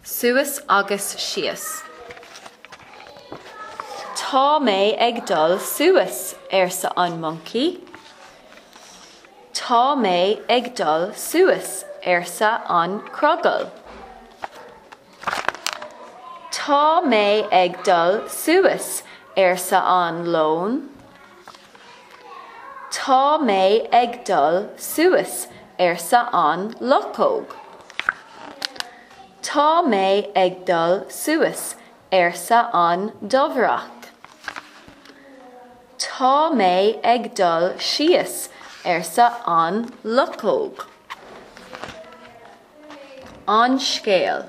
Suas agus síos. Tá mé ag dul suas, arsa an moncaí. Tá mé ag dul suas, arsa an crogall. Tá mé ag dul suas, arsa an leon. Tá mé ag dul suas, arsa an luchóg. Tá mé ag dul suas, arsa an dobhareach. Tá mé ag dul síos, arsa an luchóg. An scéal.